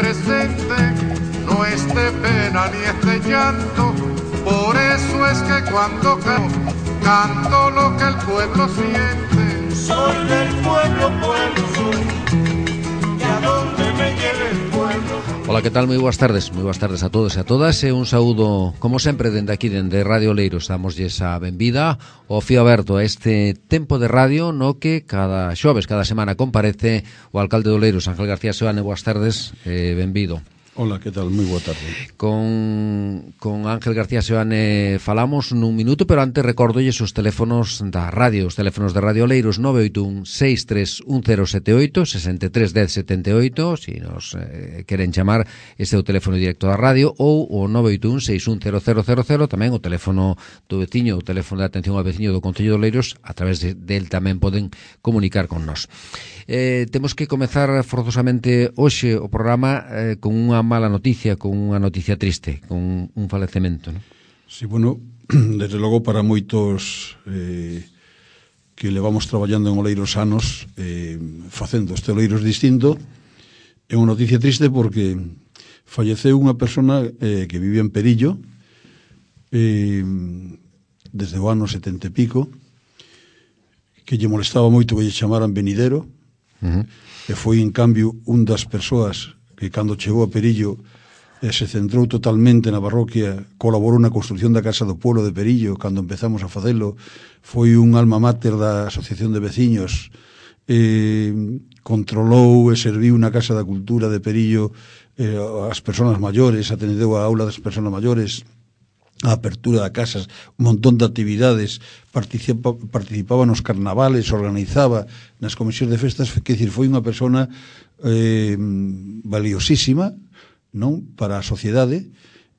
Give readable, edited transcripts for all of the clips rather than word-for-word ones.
presente, no es de pena ni es de llanto. Por eso es que cuando canto lo que el pueblo siente. Soy del pueblo, pueblo soy, y a donde me lleve el pueblo. Ola, que tal? Moi boas tardes a todos e a todas, e un saúdo, como sempre, dende aquí, dende Radio Oleiros. Damoslle a benvida ao fío aberto a este tempo de radio no que cada xoves, cada semana comparece o alcalde de Oleiros, Ángel García Seoane. Boas tardes, benvido. Ola, que tal? Moi boa tarde. Con Ángel García Seoane falamos nun minuto, pero antes recórdolles os teléfonos da radio, os teléfonos de Radio Oleiros: 981 631078 63 10 78, si nos queren chamar, ese é o teléfono directo da radio, ou o 981 6100000, tamén o teléfono do veciño, o teléfono de atención ao veciño do Concello de Oleiros. A través del tamén poden comunicar con nós. Temos que comezar forzosamente hoxe o programa con unha mala noticia, con unha noticia triste, con un falecemento, non? Sí, bueno, desde logo para moitos que levamos traballando en Oleiros anos, facendo este Oleiros distinto, é unha noticia triste porque falleceu unha persona que vivía en Perillo desde o ano 70 e pico, que lle molestaba moito que lle chamaran venidero, e foi, en cambio, un das persoas que cando chegou a Perillo se centrou totalmente na parroquia, colaborou na construción da Casa do Pueblo de Perillo cando empezamos a facelo, foi un alma mater da Asociación de Veciños, controlou e serviu na Casa da Cultura de Perillo as persoas maiores, atendeu a aula das persoas maiores, a apertura de casas, un montón de actividades, participaba nos carnavales, organizaba nas comisións de festas, que decir, foi unha persona valiosísima, non, para a sociedade,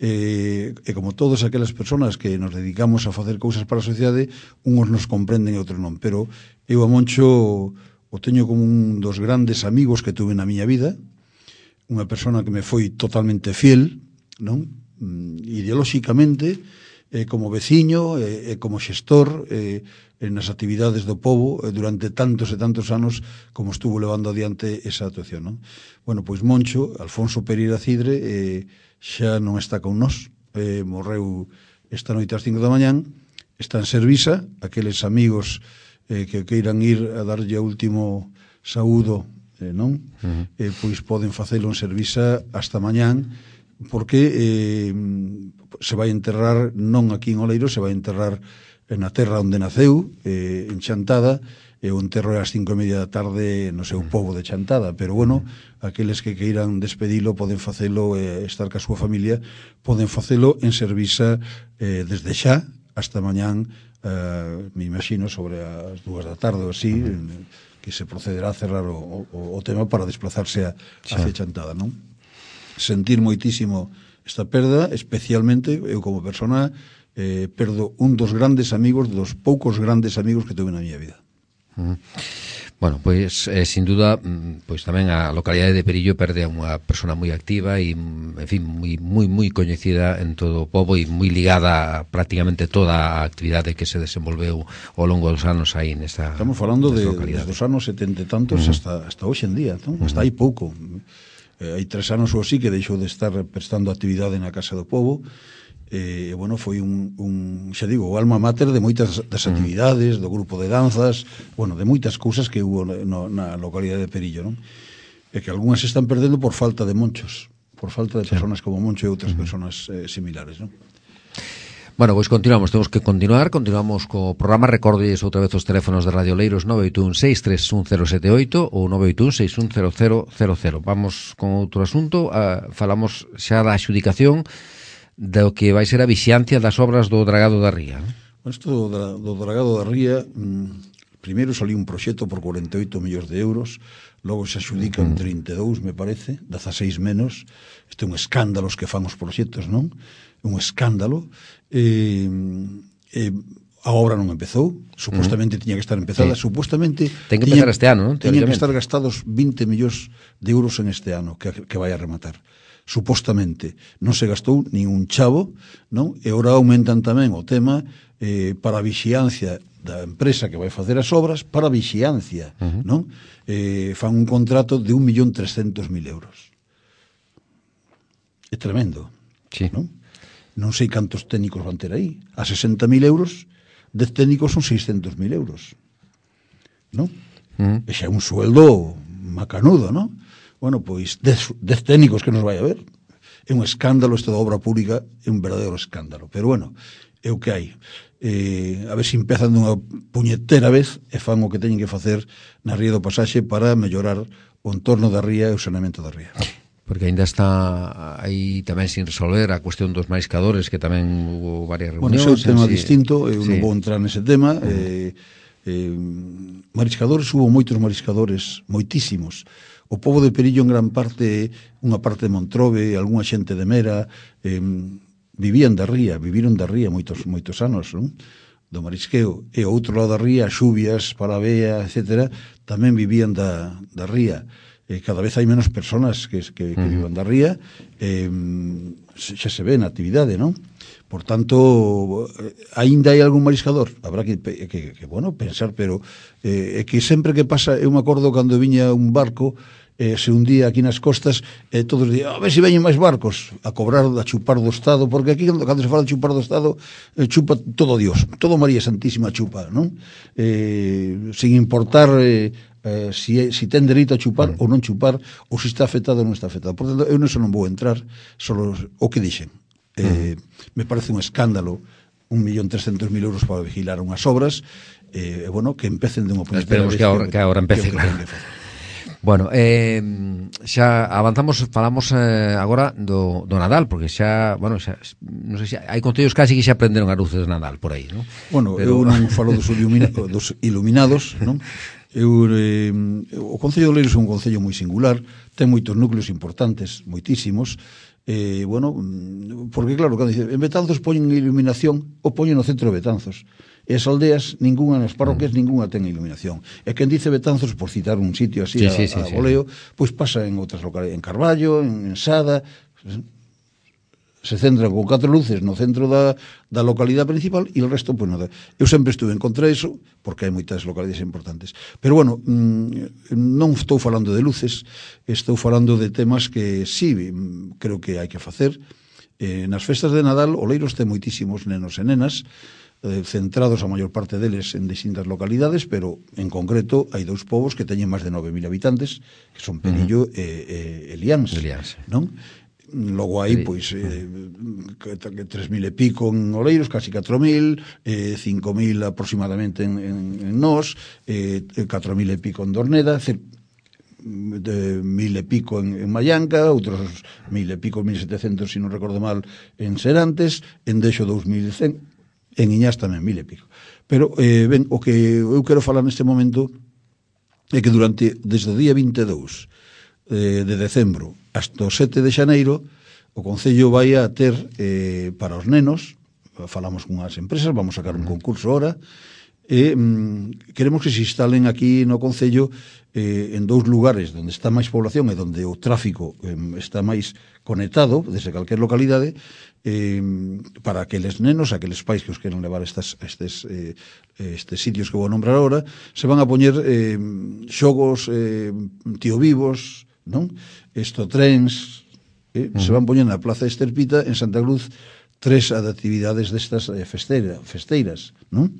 e como todas aquelas persoas que nos dedicamos a facer cousas para a sociedade, uns nos comprenden e outros non, pero eu a Moncho o teño como un dos grandes amigos que tuve na miña vida, unha persona que me foi totalmente fiel, non, ideolóxicamente, como veciño, como xestor, nas actividades do pobo durante tantos e tantos anos como estuvo levando adiante esa actuación, non? Bueno, pois Moncho, Alfonso Pereira Cidre, xa non está con nós, morreu esta noite ás 5 da mañán, está en Servisa. Aqueles amigos que queiran ir a darlle o último saúdo, non? Pois poden facelo en Servisa hasta mañán, porque se vai enterrar non aquí en Oleiros, se vai enterrar na terra onde naceu, en Chantada, e o enterro é ás 5:30 da tarde no seu pobo de Chantada, pero bueno, aqueles que queiran despedilo poden facelo, estar ca súa familia, poden facelo en Servisa desde xa hasta mañán, me imagino sobre as 2 da tarde ou así, que se procederá a cerrar o tema para desplazarse hacia Chantada, non? Sentir moitísimo esta perda, especialmente eu como persona perdo un dos grandes amigos, dos poucos grandes amigos que tuve na miña vida. Bueno, pois sin duda, pois tamén a localidade de Perillo perde a unha persona moi activa e, en fin, moi coñecida en todo o pobo e moi ligada a prácticamente toda a actividade que se desenvolveu ao longo dos anos aí nesta. Estamos falando de dos anos 70 e tantos hasta hoxe en día, non? Hasta aí pouco. Hai 3 anos ou así que deixou de estar prestando actividade na Casa do Pobo, e bueno, foi xa digo, o alma mater de moitas das actividades, do grupo de danzas, bueno, de moitas cousas que hubo na localidade de Perillo, non? E que algunhas se están perdendo por falta de monchos, por falta de personas como Moncho e outras personas similares, non? Bueno, pois continuamos co programa. Recordolles outra vez os teléfonos de Radio Oleiros: 981 631078 ou 981 6100000. Vamos con outro asunto. Falamos xa da adxudicación do que vai ser a vixiancia das obras do Dragado da Ría. Isto do Dragado da Ría, primeiro saliu un proxecto por 48 millóns de euros, logo se adxudican 32, me parece, 16 menos. Isto é un escándalo os que fan os proxectos, non? Un escándalo. A obra non empezou, supostamente tiña que estar empezada, supostamente ten que empezar este ano, non? Tiñan que estar gastados 20 millóns de euros en este ano que vai a rematar. Supostamente non se gastou nin un chavo, non? E ora aumentan tamén o tema para a vixiancia da empresa que vai facer as obras, para a vixiancia, non? Fan un contrato de 1.300.000 euros. é tremendo. Sí. Non sei cantos técnicos van ter aí. A 60.000 euros, 10 técnicos son 600.000 euros. Non? E xa é un sueldo macanudo, non? Bueno, pois 10 técnicos que nos vai a ver. É un escándalo, isto da obra pública é un verdadeiro escándalo. Pero bueno, é o que hai. A ver se empezan dunha puñetera vez e fan o que teñen que facer na ría do Pasaxe para mellorar o entorno da ría e o saneamento da ría. Porque ainda está aí tamén sin resolver a cuestión dos mariscadores, que tamén hubo varias reunións. Bueno, ese é un tema distinto, eu non vou entrar nese tema. Mariscadores, hubo moitos mariscadores, moitísimos. O pobo de Perillo en gran parte, unha parte de Montrobe, algunha xente de Mera, viviron da ría moitos anos, non? Do marisqueo. E o outro lado da ría, Xubias, Palavea, etc., tamén vivían da ría. Cada vez hai menos personas que vivan da ría, xa se ve na actividade, non? Por tanto, aínda hai algún mariscador, habrá que pensar, pero é que sempre que pasa, eu me acordo cando viña un barco, se hundía aquí nas costas, todos dicían, a ver se veñen máis barcos a cobrar, a chupar do Estado, porque aquí cando se fala de chupar do Estado, chupa todo Dios, todo María Santísima chupa, non? Sin importar si ten dereito a chupar ou non chupar, ou se está afectado ou non está afectado. Por tanto, eu non vou entrar, solo o que dixen. Me parece un escándalo 1.300.000 euros para vigilar unhas obras, bueno, que empecen de unha puñetera vez. Esperemos que agora empece, claro. Bueno, xa avanzamos, falamos agora do Nadal, porque xa, bueno, xa, non sei se hai concellos casi que xa aprenderon as luces de Nadal por aí, non? Bueno, eu non falo dos iluminados, non? O Concello de Oleiros é un concello moi singular, ten moitos núcleos importantes, moitísimos, bueno, porque claro, cando dice, en Betanzos poñen iluminación, o poñen no centro de Betanzos. E as aldeas, ninguna, nas parroquias, ninguna ten iluminación. E quen dice Betanzos, por citar un sitio así a voleo, pois pasa en outras localidades, en Carballo, en Sada, se centran con 4 luces no centro da localidade principal e o resto, pois nada. Eu sempre estuve en contra iso, porque hai moitas localidades importantes. Pero bueno, non estou falando de luces, estou falando de temas que sí, creo que hai que facer. Nas festas de Nadal, Oleiros ten moitísimos nenos e nenas, centrados a maior parte deles en distintas localidades, pero en concreto hai dous povos que teñen máis de 9.000 habitantes, que son Perillo e Liáns, non? Logo hai, pois, 3.000 e pico en Oleiros, casi 4.000, 5.000 aproximadamente en Nós, 4.000 e pico en Dorneda, de 1.000 e pico en Mallanca, outros 1.000 e pico, 1.700, se non recordo mal, en Serantes, en Deixo 2.100, en Iñás tamén 1.000 e pico. Pero, ben, o que eu quero falar neste momento é que desde o día 22 de decembro hasta o 7 de xaneiro, o Concello vai a ter para os nenos, falamos con as empresas, vamos a sacar un concurso ahora, e queremos que se instalen aquí no Concello en dous lugares onde está máis población e onde o tráfico está máis conectado desde calquer localidade, para aqueles nenos, aqueles pais que os queren levar estes sitios que vou nombrar ahora, se van a poñer xogos tío vivos, non? Trens, se van poñer na Plaza Esterpita en Santa Cruz 3 actividades destas festeiras, non?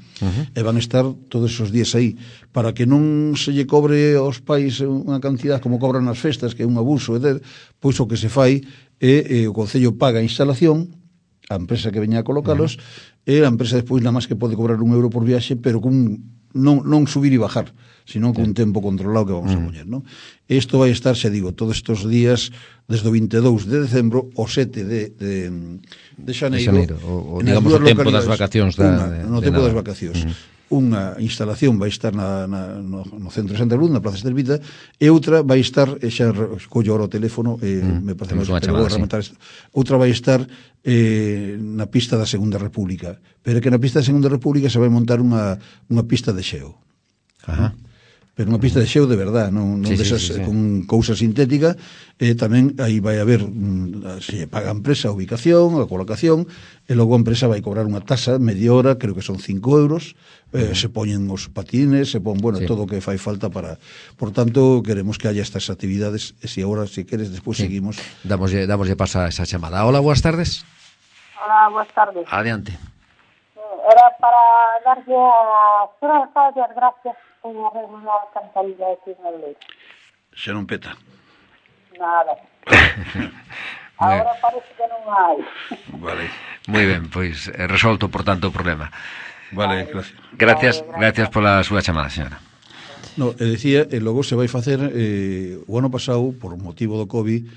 E van estar todos esos días aí, para que non se lle cobre aos pais unha cantidad como cobran nas festas, que é un abuso, pois o que se fai é o Concello paga a instalación, a empresa que veña a colocalos, e a empresa despois nada máis que pode cobrar €1 por viaxe, pero non subir e bajar, sino con un tempo controlado que vamos a poñer, non? Isto vai estar, xa digo, todos estes días desde o 22 de decembro ao 7 de xaneiro, digamos o tempo das vacacións no tempo das vacacións. Unha instalación vai estar no centro de Santa Cruz, na Plaza Esterpita, e outra vai estar, xa collo ahora o teléfono, me parece que vou rematar isto, outra vai estar na pista da Segunda República, pero que na pista da Segunda República se vai montar unha pista de xeo. pero unha pista de xeo de verdad, non desas con cousa sintética. Tamén aí vai haber, se paga a empresa a ubicación, a colocación, e logo a empresa vai cobrar unha tasa media hora, creo que son 5 euros, se poñen os patines, se pon, todo o que fai falta para... Por tanto, queremos que haya estas actividades, e se agora, se queres, despois seguimos. Damoslle pasa esa chamada. Hola, boas tardes. Hola, boas tardes. Adiante. Era para darlle a señora alcalde as gracias por arreglar a cantaría aquí en Oleiros. Xa non peta. Nada. Ahora parece que non hai. Vale. Moi ben, pois resolto, por tanto, o problema. Vale, gracias. Gracias pola súa chamada, señora. No, decía, logo se vai facer o ano pasado, por motivo do COVID,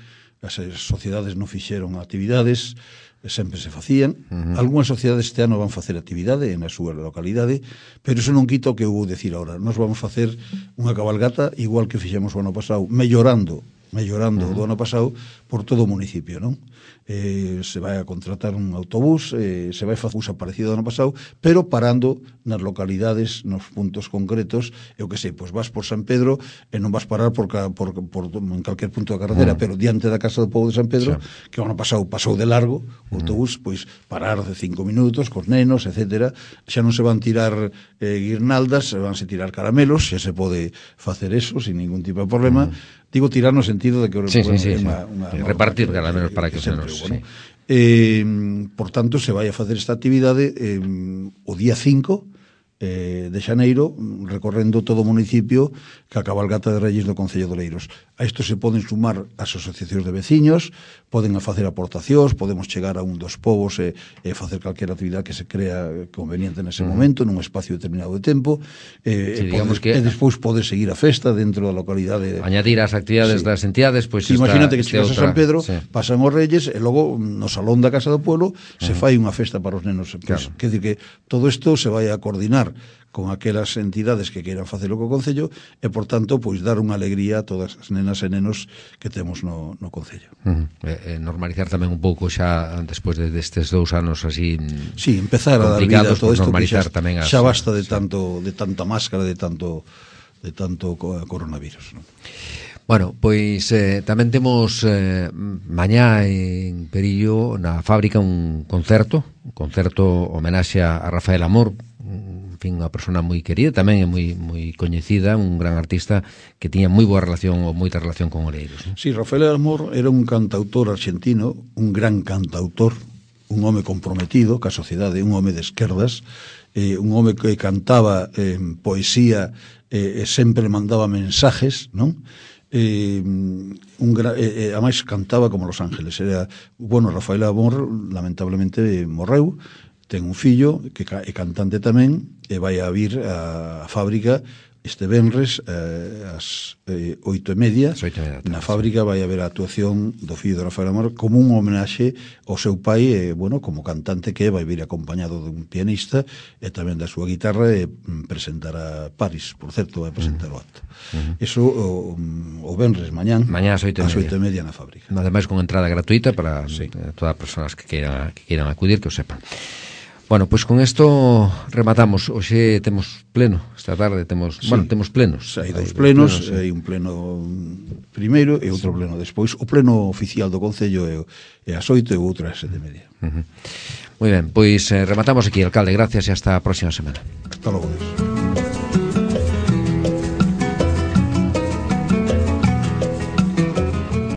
as sociedades non fixeron actividades, sempre se facían. Algúnas sociedades este ano van facer actividade na súa localidade, pero iso non quita o que eu vou decir agora. Nós vamos facer unha cabalgata igual que fixemos o ano pasado, mellorando do ano pasado por todo o municipio, non? Se vai a contratar un autobús, se vai facer un parecido ao ano pasado, pero parando nas localidades, nos puntos concretos, eu que sei, pois vas por San Pedro e non vas parar por en calquer punto da carretera, pero diante da Casa do Pobo de San Pedro, que o ano pasado pasou de largo, o autobús, pois parar de 5 minutos cos nenos, etcétera. Xa non se van tirar guirnaldas, se vanse tirar caramelos, xa se pode facer eso sin ningún tipo de problema. Digo tirar no sentido de que repartir caramelos para que se nos... Por tanto, se vai a facer esta actividade o día 5 de xaneiro, recorrendo todo o municipio ca cabalgata de Reyes do Concello de Oleiros. A isto se poden sumar as asociacións de veciños, poden facer aportacións, podemos chegar a un dos povos e facer calquera actividade que se crea conveniente nese momento, nun espacio determinado de tempo, e despois pode seguir a festa dentro da localidade. Añadir as actividades das entidades, pois imagínate que chegas a San Pedro, pasan os Reyes, e logo no salón da Casa do Pueblo se fai unha festa para os nenos. Quer dizer que todo isto se vai a coordinar con aquelas entidades que queiran facelo co Concello e, por tanto, pois dar unha alegría a todas as nenas e nenos que temos no Concello. Normalizar tamén un pouco xa despois destes 2 anos así empezar a dar vida a todo isto que xa basta de tanta máscara, de tanto coronavirus, non? Bueno, pois tamén temos mañá en Perillo na fábrica un concerto homenaxe a Rafael Amor, unha persona moi querida, tamén é moi coñecida, un gran artista que tiña moi boa relación ou moita relación con Oleiros. Sí, Rafael Amor era un cantautor argentino, un gran cantautor, un home comprometido ca sociedade, un home de esquerdas, un home que cantaba poesía e sempre mandaba mensajes, non? Ademais cantaba como Los Ángeles. Rafael Amor lamentablemente morreu, ten un fillo que é cantante tamén e vai a vir a fábrica este venres ás 8:30 na fábrica vai haber a actuación do fillo de Rafael Amor como un homenaxe ao seu pai como cantante que vai vir acompañado dun pianista e tamén da súa guitarra e presentar a Paris, por certo, vai presentar o acto. Eso o venres mañá ás 8:30 na fábrica. Ademais con entrada gratuita para todas as persoas que queiran acudir, que o sepan. Bueno, pois con isto rematamos. Hoxe temos pleno, esta tarde temos plenos. Hai 2 plenos, hai un pleno primeiro e outro pleno despois. O pleno oficial do Concello é ás 8 e o outro ás 7:30. Moi ben, pois rematamos aquí, alcalde. Gracias e hasta a próxima semana. Hasta logo.